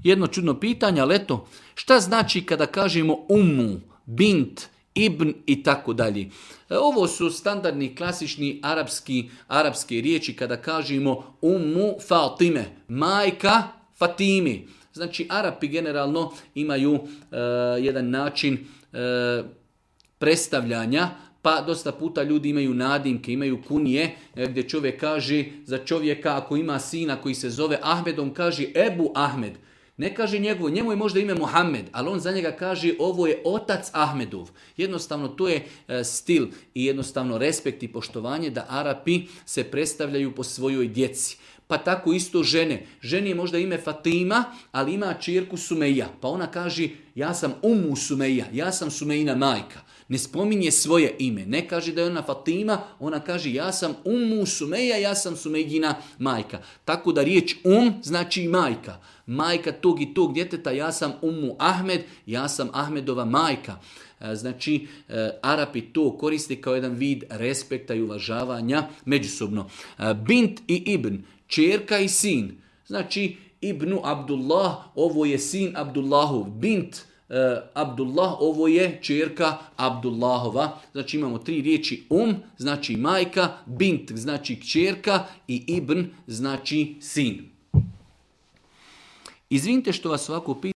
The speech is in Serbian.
Jedno čudno pitanje, ali eto, šta znači kada kažemo ummu, bint, ibn i tako dalje? Ovo su standardni, klasični arapski riječi kada kažemo ummu Fatime, majka Fatimi. Znači, Arapi generalno imaju jedan način predstavljanja, pa dosta puta ljudi imaju nadimke, imaju kunije, gdje čovjek kaže za čovjeka ako ima sina koji se zove Ahmed, on kaže Ebu Ahmed. Ne kaže njemu je možda ime Muhammed, ali on za njega kaže ovo je otac Ahmedov. Jednostavno to je stil i jednostavno respekt i poštovanje da Arapi se predstavljaju po svojoj djeci. Pa tako isto žene. Ženi je možda ime Fatima, ali ima ćerku Sumeja. Pa ona kaže ja sam Ummu Sumeja, ja sam Sumejina majka. Ne spominje svoje ime. Ne kaže da je ona Fatima, ona kaže ja sam Ummu Sumeja, ja sam Sumejina majka. Tako da riječ znači majka. Majka tog i tog djeteta, ja sam Ummu Ahmed, ja sam Ahmedova majka. Znači, Arapi to koriste kao jedan vid respekta i uvažavanja međusobno. Bint i ibn, ćerka i sin. Znači, ibnu Abdullah, ovo je sin Abdullahov. Bint Abdullah, ovo je ćerka Abdullahova. Znači, imamo 3 riječi znači majka, bint znači kćerka i ibn znači sin. Izvinite što vas ovako pitam.